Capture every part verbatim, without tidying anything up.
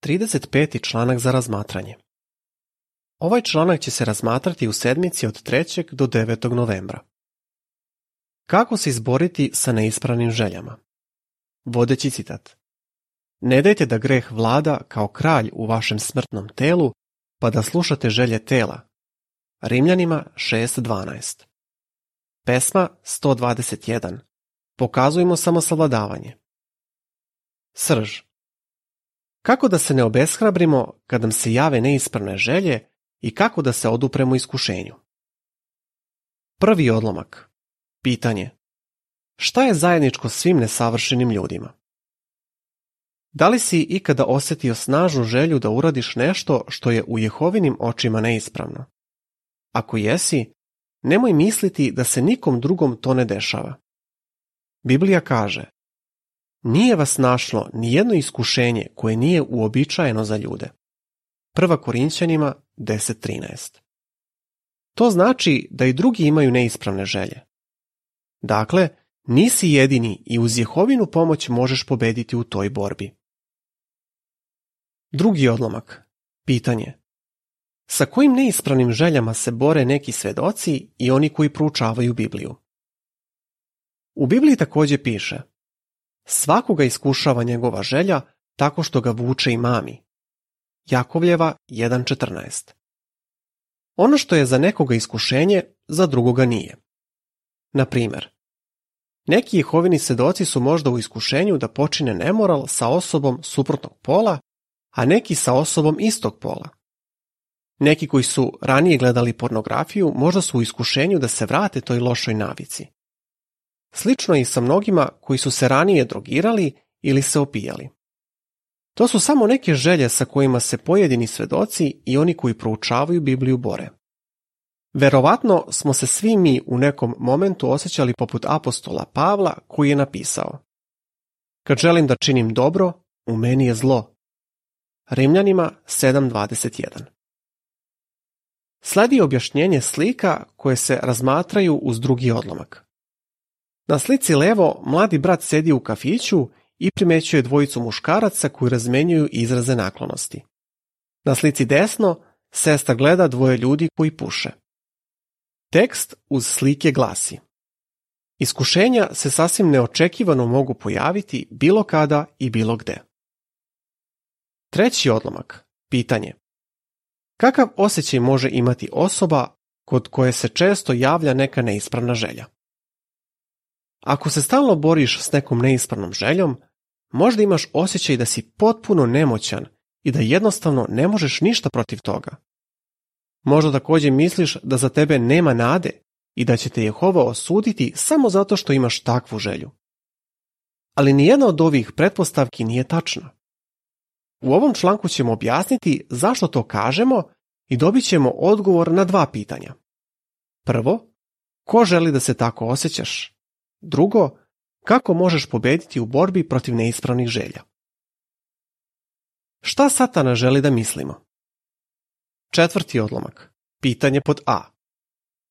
trideset peti članak za razmatranje. Ovaj članak će se razmatrati u sedmici od trećeg do devetog novembra. Kako se izboriti sa neispravnim željama? Vodeći citat. Ne dajte da greh vlada kao kralj u vašem smrtnom telu, pa da slušate želje tela. Rimljanima šest dvanaest. Pesma sto dvadeset jedan. Pokazujmo samosavladavanje. Srž. Kako da se ne obeshrabrimo kad nam se jave neispravne želje i kako da se odupremo iskušenju? Prvi odlomak. Pitanje. Šta je zajedničko svim nesavršenim ljudima? Da li si ikada osjetio snažnu želju da uradiš nešto što je u Jehovinim očima neispravno? Ako jesi, nemoj misliti da se nikom drugom to ne dešava. Biblija kaže: nije vas našlo ni jedno iskušenje koje nije uobičajeno za ljude. Prva Korinćanima deset trinaest. To znači da i drugi imaju neispravne želje. Dakle, nisi jedini i uz Jehovinu pomoć možeš pobediti u toj borbi. Drugi odlomak. Pitanje. Sa kojim neispravnim željama se bore neki svedoci i oni koji proučavaju Bibliju? U Bibliji također piše: svakoga iskušava njegova želja tako što ga vuče i mami. Jakovljeva jedan četrnaest. Ono što je za nekoga iskušenje, za drugoga nije. Na primjer, neki Jehovini svedoci su možda u iskušenju da počine nemoral sa osobom suprotnog pola, a neki sa osobom istog pola. Neki koji su ranije gledali pornografiju možda su u iskušenju da se vrate toj lošoj navici. Slično je i sa mnogima koji su se ranije drogirali ili se opijali. To su samo neke želje sa kojima se pojedini svedoci i oni koji proučavaju Bibliju bore. Verovatno smo se svi mi u nekom momentu osjećali poput apostola Pavla koji je napisao: kad želim da činim dobro, u meni je zlo. Rimljanima sedam dvadeset jedan. Sledi objašnjenje slika koje se razmatraju uz drugi odlomak. Na slici levo mladi brat sedi u kafiću i primećuje dvojicu muškaraca koji razmenjuju izraze naklonosti. Na slici desno sestra gleda dvoje ljudi koji puše. Tekst uz slike glasi: iskušenja se sasvim neočekivano mogu pojaviti bilo kada i bilo gde. Treći odlomak. Pitanje. Kakav osjećaj može imati osoba kod koje se često javlja neka neispravna želja? Ako se stalno boriš s nekom neispravnom željom, možda imaš osjećaj da si potpuno nemoćan i da jednostavno ne možeš ništa protiv toga. Možda također misliš da za tebe nema nade i da će te Jehova osuditi samo zato što imaš takvu želju. Ali nijedna od ovih pretpostavki nije tačna. U ovom članku ćemo objasniti zašto to kažemo i dobit ćemo odgovor na dva pitanja. Prvo, ko želi da se tako osjećaš? Drugo, kako možeš pobediti u borbi protiv neispravnih želja? Šta Satana želi da mislimo? Četvrti odlomak. Pitanje pod A.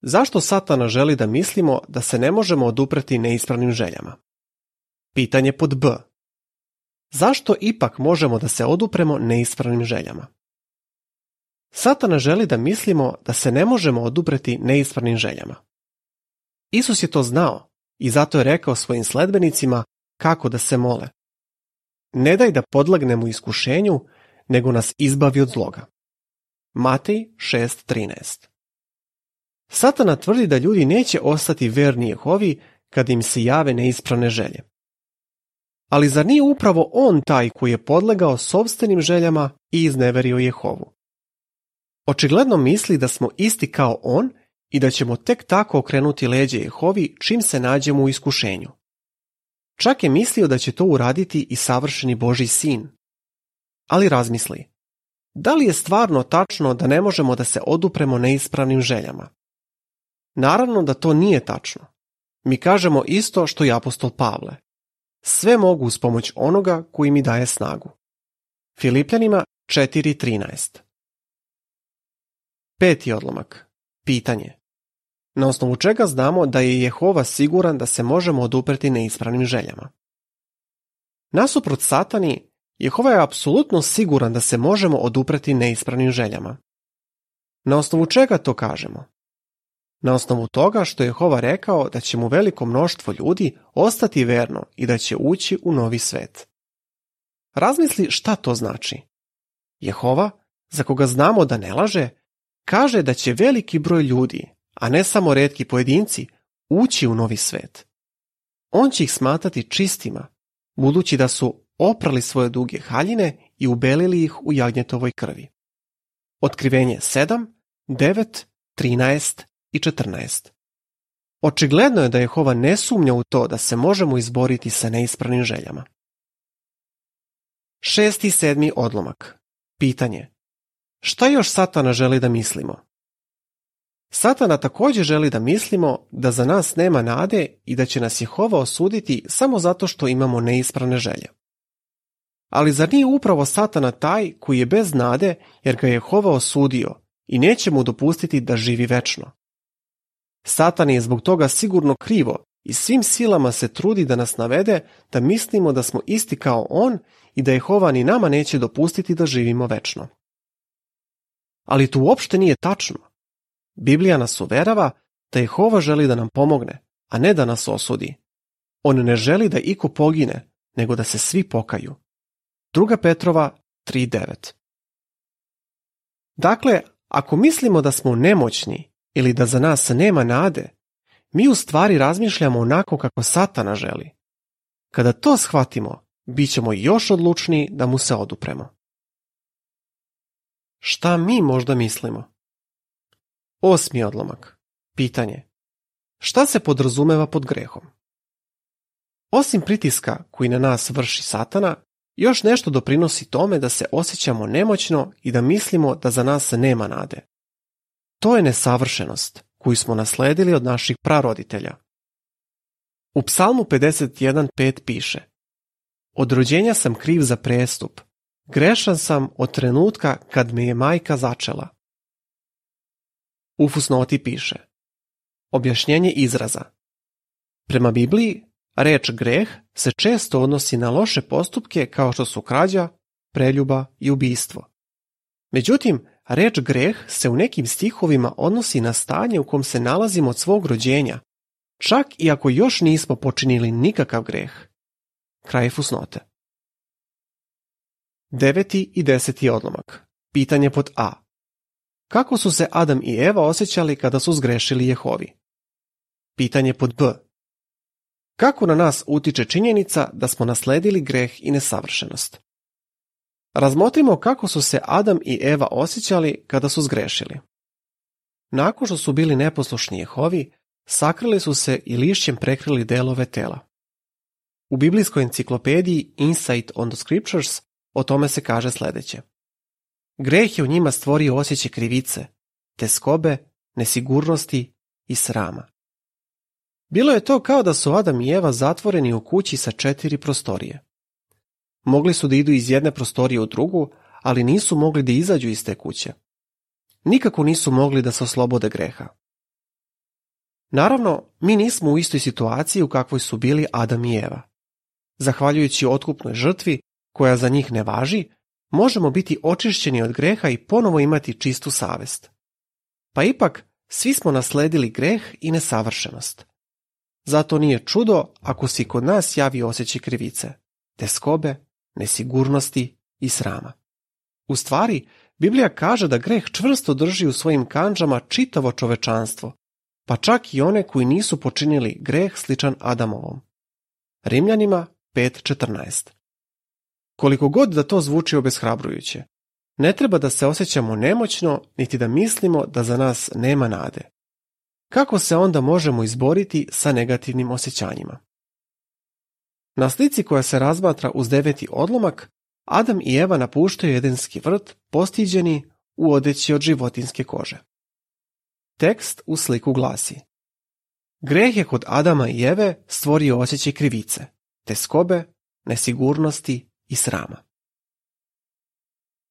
Zašto Satana želi da mislimo da se ne možemo odupreti neispravnim željama? Pitanje pod B. Zašto ipak možemo da se odupremo neispravnim željama? Satana želi da mislimo da se ne možemo odupreti neispravnim željama. Isus je to znao i zato je rekao svojim sledbenicima kako da se mole. Ne daj da podlegnemo iskušenju, nego nas izbavi od zloga. Matej šest trinaest. Satana tvrdi da ljudi neće ostati verni Jehovi kad im se jave neispravne želje. Ali zar nije upravo on taj koji je podlegao sopstvenim željama i izneverio Jehovu? Očigledno misli da smo isti kao on i da ćemo tek tako okrenuti leđe Jehovi čim se nađemo u iskušenju. Čak je mislio da će to uraditi i savršeni Božji sin. Ali razmisli, da li je stvarno tačno da ne možemo da se odupremo neispravnim željama? Naravno da to nije tačno. Mi kažemo isto što i apostol Pavle. Sve mogu uz pomoć onoga koji mi daje snagu. Filipljanima četiri trinaest. Peti odlomak. Pitanje. Na osnovu čega znamo da je Jehova siguran da se možemo odupreti neispravnim željama? Nasuprot Satani, Jehova je apsolutno siguran da se možemo odupreti neispravnim željama. Na osnovu čega to kažemo? Na osnovu toga što je Jehova rekao da će mu veliko mnoštvo ljudi ostati verno i da će ući u novi svet. Razmisli šta to znači. Jehova, za koga znamo da ne laže, kaže da će veliki broj ljudi, a ne samo retki pojedinci, ući u novi svet. On će ih smatrati čistima, budući da su oprali svoje duge haljine i ubelili ih u jagnjetovoj krvi. Otkrivenje sedam, devet, trinaest i četrnaest. Očigledno je da Jehova ne sumnja u to da se možemo izboriti sa neispravnim željama. Šesti i sedmi odlomak. Pitanje. Šta još Satana želi da mislimo? Satana također želi da mislimo da za nas nema nade i da će nas Jehova osuditi samo zato što imamo neispravne želje. Ali zar nije upravo Satana taj koji je bez nade jer ga je Jehova osudio i neće mu dopustiti da živi večno? Satan je zbog toga sigurno krivo i svim silama se trudi da nas navede da mislimo da smo isti kao on i da Jehova ni nama neće dopustiti da živimo večno. Ali to uopšte nije tačno. Biblija nas uverava da Jehova želi da nam pomogne, a ne da nas osudi. On ne želi da iko pogine, nego da se svi pokaju. Druga Petrova tri devet. Dakle, ako mislimo da smo nemoćni ili da za nas nema nade, mi u stvari razmišljamo onako kako Satana želi. Kada to shvatimo, bit ćemo još odlučniji da mu se odupremo. Šta mi možda mislimo? Osmi odlomak. Pitanje. Šta se podrazumeva pod grehom? Osim pritiska koji na nas vrši Satana, još nešto doprinosi tome da se osjećamo nemoćno i da mislimo da za nas nema nade. To je nesavršenost koju smo nasledili od naših praroditelja. U Psalmu pedeset jedan pet piše: Od rođenja sam kriv za prestup, grešan sam od trenutka kad me je majka začela. U fusnoti piše: Objašnjenje izraza. Prema Bibliji, reč greh se često odnosi na loše postupke kao što su krađa, preljuba i ubistvo. Međutim, reč greh se u nekim stihovima odnosi na stanje u kom se nalazimo od svog rođenja, čak i ako još nismo počinili nikakav greh. Kraj fusnote. Deveti i deseti odlomak. Pitanje pod A. Kako su se Adam i Eva osjećali kada su zgrešili Jehovi? Pitanje pod B. Kako na nas utiče činjenica da smo nasledili greh i nesavršenost? Razmotrimo kako su se Adam i Eva osjećali kada su zgrešili. Nakon što su bili neposlušni Jehovi, sakrili su se i lišćem prekrili delove tela. U biblijskoj enciklopediji Insight on the Scriptures o tome se kaže sljedeće. Greh je u njima stvorio osjećaj krivice, teskobe, nesigurnosti i srama. Bilo je to kao da su Adam i Eva zatvoreni u kući sa četiri prostorije. Mogli su da idu iz jedne prostorije u drugu, ali nisu mogli da izađu iz te kuće. Nikako nisu mogli da se oslobode greha. Naravno, mi nismo u istoj situaciji u kakvoj su bili Adam i Eva. Zahvaljujući otkupnoj žrtvi, koja za njih ne važi, možemo biti očišćeni od greha i ponovo imati čistu savest. Pa ipak, svi smo nasledili greh i nesavršenost. Zato nije čudo ako se kod nas javi osjećaj krivice, teskobe, nesigurnosti i srama. U stvari, Biblija kaže da greh čvrsto drži u svojim kandžama čitavo čovečanstvo, pa čak i one koji nisu počinili greh sličan Adamovom. Rimljanima pet četrnaest. Koliko god da to zvuči obeshrabrujuće, ne treba da se osjećamo nemoćno niti da mislimo da za nas nema nade. Kako se onda možemo izboriti sa negativnim osjećanjima? Na slici koja se razmatra uz deveti odlomak, Adam i Eva napuštaju Edenski vrt postiđeni u odeći od životinjske kože. Tekst u sliku glasi: Greh je kod Adama i Eve stvorio osjećaj krivice, teskobe, nesigurnosti i srama.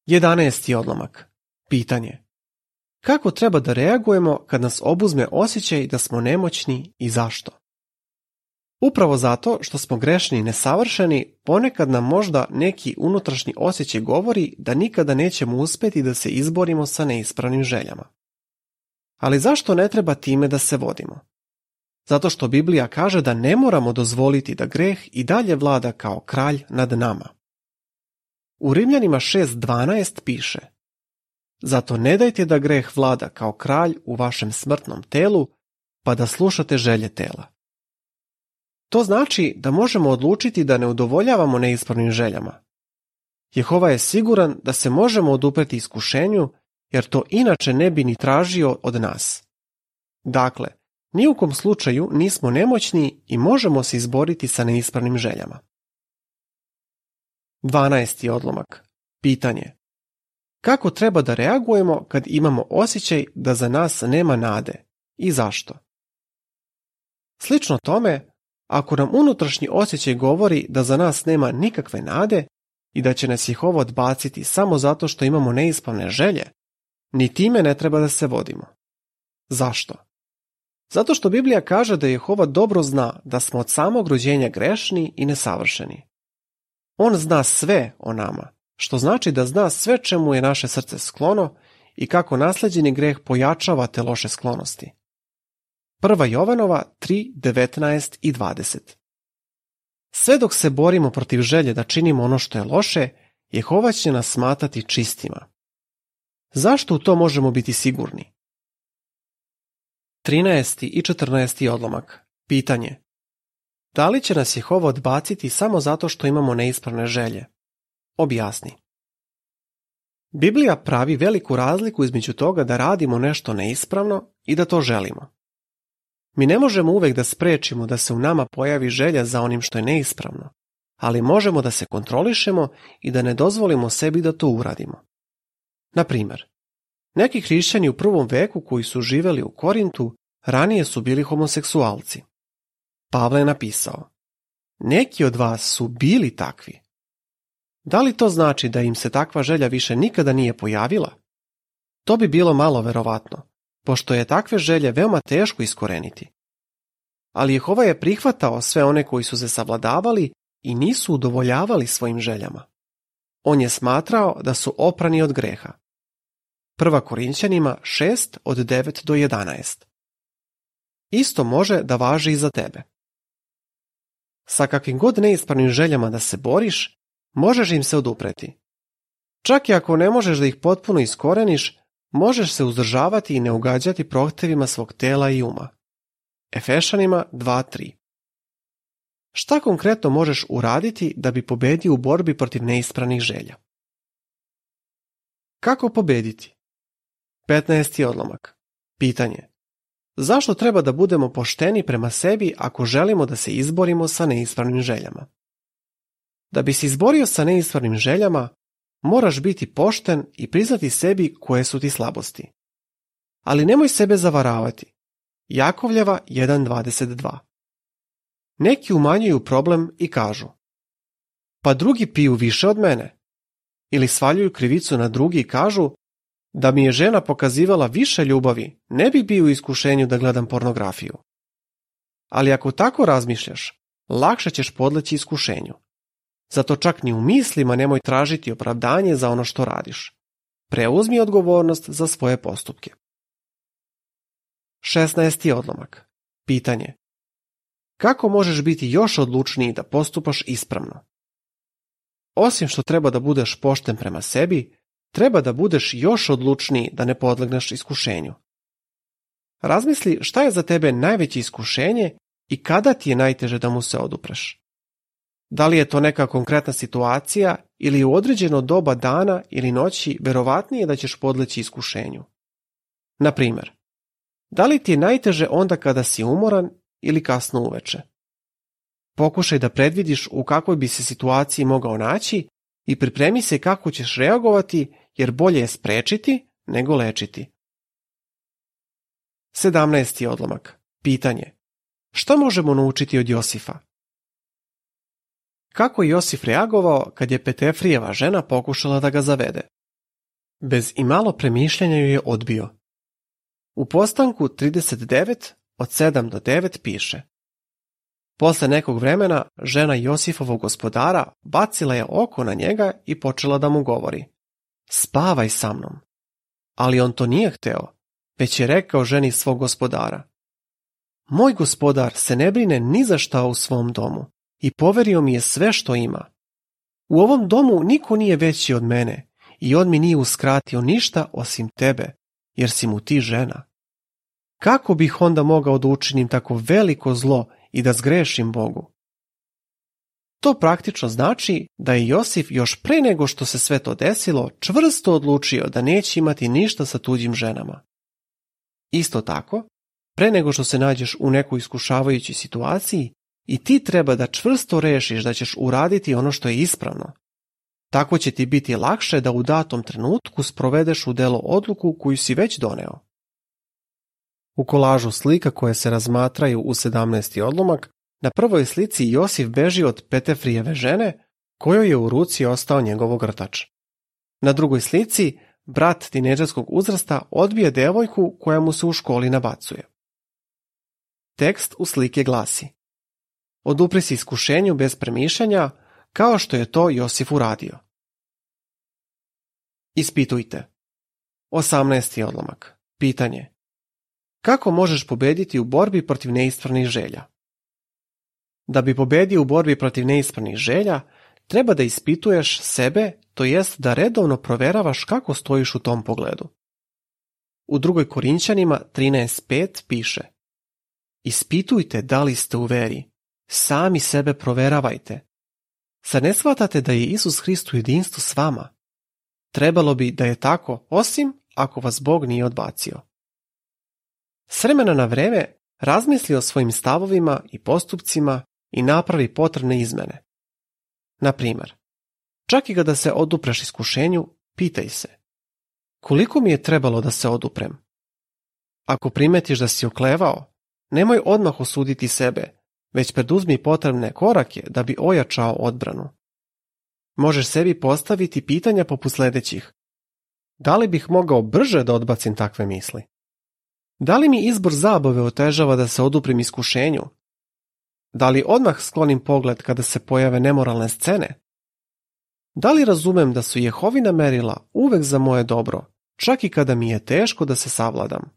Jedanaesti odlomak. Pitanje. Kako treba da reagujemo kad nas obuzme osjećaj da smo nemoćni i zašto? Upravo zato što smo grešni i nesavršeni, ponekad nam možda neki unutrašnji osjećaj govori da nikada nećemo uspjeti da se izborimo sa neispravnim željama. Ali zašto ne treba time da se vodimo? Zato što Biblija kaže da ne moramo dozvoliti da greh i dalje vlada kao kralj nad nama. U Rimljanima šest dvanaest piše: Zato ne dajte da greh vlada kao kralj u vašem smrtnom telu, pa da slušate želje tela. To znači da možemo odlučiti da ne udovoljavamo neispravnim željama. Jehova je siguran da se možemo odupreti iskušenju, jer to inače ne bi ni tražio od nas. Dakle, ni u kom slučaju nismo nemoćni i možemo se izboriti sa neispravnim željama. dvanaesti odlomak. Pitanje: kako treba da reagujemo kad imamo osjećaj da za nas nema nade i zašto? Slično tome, ako nam unutrašnji osjećaj govori da za nas nema nikakve nade i da će nas Jehova odbaciti samo zato što imamo neispravne želje, ni time ne treba da se vodimo. Zašto? Zato što Biblija kaže da Jehova dobro zna da smo od samog rođenja grešni i nesavršeni. On zna sve o nama, što znači da zna sve čemu je naše srce sklono i kako nasleđeni greh pojačava te loše sklonosti. Prva Jovanova tri devetnaest i dvadeset. Sve dok se borimo protiv želje da činimo ono što je loše, Jehova će nas smatrati čistima. Zašto u to možemo biti sigurni? trinaesti i četrnaesti odlomak. Pitanje: da li će nas Jehova odbaciti samo zato što imamo neispravne želje? Objasni. Biblija pravi veliku razliku između toga da radimo nešto neispravno i da to želimo. Mi ne možemo uvek da sprečimo da se u nama pojavi želja za onim što je neispravno, ali možemo da se kontrolišemo i da ne dozvolimo sebi da to uradimo. Na primjer, neki hrišćani u prvom veku koji su živeli u Korintu ranije su bili homoseksualci. Pavle je napisao: neki od vas su bili takvi. Da li to znači da im se takva želja više nikada nije pojavila? To bi bilo malo verovatno, pošto je takve želje veoma teško iskoreniti. Ali Jehova je prihvatao sve one koji su se savladavali i nisu udovoljavali svojim željama. On je smatrao da su oprani od greha. Prva Korinćanima šest od devet do jedanaest. Isto može da važi i za tebe. Sa kakvim god neispravnim željama da se boriš, možeš im se odupreti. Čak i ako ne možeš da ih potpuno iskoreniš, možeš se uzdržavati i ne ugađati prohtevima svog tela i uma. Efešanima dva tri. Šta konkretno možeš uraditi da bi pobedio u borbi protiv neispravnih želja? Kako pobediti? petnaesti odlomak. Pitanje: zašto treba da budemo pošteni prema sebi ako želimo da se izborimo sa neispravnim željama? Da bi se izborio sa neispravnim željama, moraš biti pošten i priznati sebi koje su ti slabosti. Ali nemoj sebe zavaravati. Jakovljeva jedan dvadeset dva. Neki umanjuju problem i kažu: pa drugi piju više od mene. Ili svaljuju krivicu na drugi i kažu: da mi je žena pokazivala više ljubavi, ne bi bio u iskušenju da gledam pornografiju. Ali ako tako razmišljaš, lakše ćeš podleći iskušenju. Zato čak ni u mislima nemoj tražiti opravdanje za ono što radiš. Preuzmi odgovornost za svoje postupke. šesnaesti odlomak. Pitanje: kako možeš biti još odlučniji da postupaš ispravno? Osim što treba da budeš pošten prema sebi, treba da budeš još odlučniji da ne podlegneš iskušenju. Razmisli šta je za tebe najveće iskušenje i kada ti je najteže da mu se odupreš. Da li je to neka konkretna situacija ili u određeno doba dana ili noći verovatnije da ćeš podleći iskušenju. Na primjer, da li ti je najteže onda kada si umoran ili kasno uveče? Pokušaj da predvidiš u kakvoj bi se situaciji mogao naći i pripremi se kako ćeš reagovati, jer bolje je sprečiti nego lečiti. sedamnaesti odlomak. Pitanje: šta možemo naučiti od Josifa? Kako je Josif reagovao kad je Petefrijeva žena pokušala da ga zavede? Bez imalo premišljanja ju je odbio. U Postanku trideset devet od sedam do devet piše: Posle nekog vremena, žena Josifovog gospodara bacila je oko na njega i počela da mu govori: spavaj sa mnom. Ali on to nije hteo, već je rekao ženi svog gospodara: moj gospodar se ne brine ni za šta u svom domu i poverio mi je sve što ima. U ovom domu niko nije veći od mene i on mi nije uskratio ništa osim tebe, jer si mu ti žena. Kako bih onda mogao da učinim tako veliko zlo i da zgrešim Bogu? To praktično znači da je Josif još pre nego što se sve to desilo čvrsto odlučio da neće imati ništa sa tuđim ženama. Isto tako, pre nego što se nađeš u nekoj iskušavajućoj situaciji, i ti treba da čvrsto rešiš da ćeš uraditi ono što je ispravno. Tako će ti biti lakše da u datom trenutku sprovedeš u delo odluku koju si već doneo. U kolažu slika koje se razmatraju u sedamnaesti odlomak, na prvoj slici Josif beži od Petefrijeve žene, kojoj je u ruci ostao njegov ogrtač. Na drugoj slici, brat tinejdžerskog uzrasta odbije devojku koja mu se u školi nabacuje. Tekst u slike glasi: odupri se iskušenju bez premišljanja, kao što je to Josif uradio. Ispitujte. osamnaesti odlomak. Pitanje: kako možeš pobediti u borbi protiv neispravnih želja? Da bi pobedio u borbi protiv neispravnih želja, treba da ispituješ sebe, to jest da redovno proveravaš kako stojiš u tom pogledu. U drugoj Korinćanima trinaest pet piše: ispitujte da li ste u veri, sami sebe proveravajte. Zar ne shvatate da je Isus Hrist u jedinstvu s vama? Trebalo bi da je tako, osim ako vas Bog nije odbacio. S vremena na vreme razmisli o svojim stavovima i postupcima i napravi potrebne izmene. Na primjer, čak i kada se odupreš iskušenju, pitaj se: koliko mi je trebalo da se oduprem? Ako primetiš da si oklevao, nemoj odmah osuditi sebe, već preduzmi potrebne korake da bi ojačao odbranu. Možeš sebi postaviti pitanja poput sljedećih: da li bih mogao brže da odbacim takve misli? Da li mi izbor zabave otežava da se oduprim iskušenju? Da li odmah sklonim pogled kada se pojave nemoralne scene? Da li razumem da su Jehovina merila uvek za moje dobro, čak i kada mi je teško da se savladam?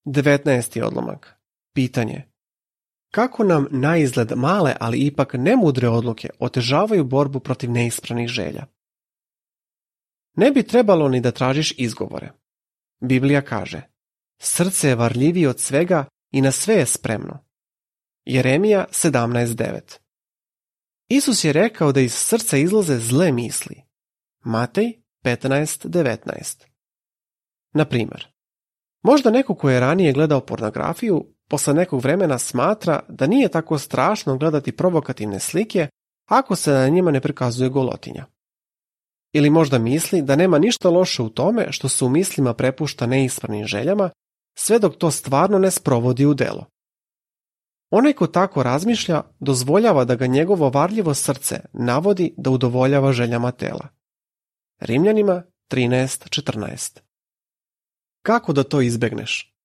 devetnaesti odlomak. Pitanje: kako nam naizgled male, ali ipak nemudre odluke otežavaju borbu protiv neispravnih želja? Ne bi trebalo ni da tražiš izgovore. Biblija kaže: srce je varljivije od svega i na sve je spremno. Jeremija sedamnaest devet. Isus je rekao da iz srca izlaze zle misli. Matej petnaest devetnaest. Na primjer, možda neko ko je ranije gledao pornografiju, posle nekog vremena smatra da nije tako strašno gledati provokativne slike ako se na njima ne prikazuje golotinja. Ili možda misli da nema ništa loše u tome što se u mislima prepušta neispravnim željama, sve dok to stvarno ne sprovodi u delo. Onaj ko tako razmišlja dozvoljava da ga njegovo varljivo srce navodi da udovoljava željama tela. Rimljanima trinaest četrnaest. Kako da to izbegneš?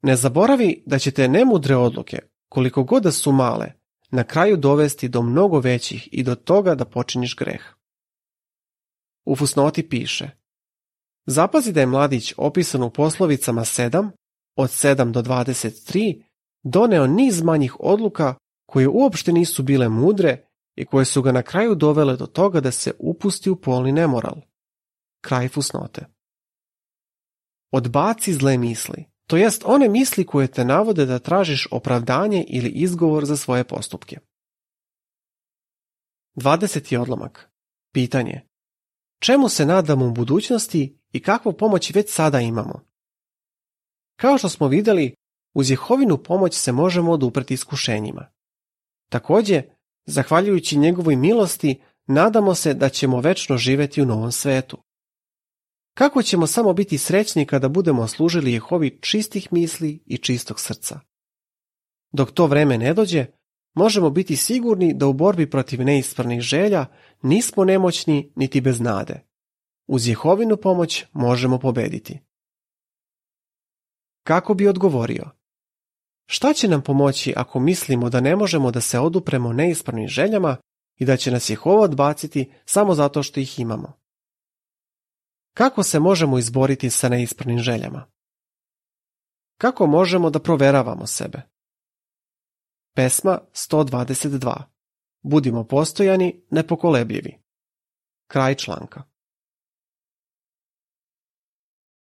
Ne zaboravi da će te nemudre odluke, koliko god da su male, na kraju dovesti do mnogo većih i do toga da počiniš greh. U fusnoti piše: zapazi da je mladić opisan u poslovicama sedam, od sedam do dvadeset tri, doneo niz manjih odluka koje uopšte nisu bile mudre i koje su ga na kraju dovele do toga da se upusti u polni nemoral. Kraj fusnote. Odbaci zle misli, to jest one misli koje te navode da tražiš opravdanje ili izgovor za svoje postupke. dvadeseti odlomak. Pitanje: čemu se nadamo u budućnosti i kakvu pomoć već sada imamo? Kao što smo vidjeli, uz Jehovinu pomoć se možemo odupreti iskušenjima. Također, zahvaljujući njegovoj milosti, nadamo se da ćemo večno živjeti u novom svetu. Kako ćemo samo biti srećni kada budemo služili Jehovi čistih misli i čistog srca? Dok to vreme ne dođe, možemo biti sigurni da u borbi protiv neispravnih želja nismo nemoćni niti bez nade. Uz Jehovinu pomoć možemo pobediti. Kako bi odgovorio? Šta će nam pomoći ako mislimo da ne možemo da se odupremo neispravnim željama i da će nas Jehova odbaciti samo zato što ih imamo? Kako se možemo izboriti sa neispravnim željama? Kako možemo da proveravamo sebe? Pesma sto dvadeset dva. Budimo postojani, nepokolebljivi. Kraj članka.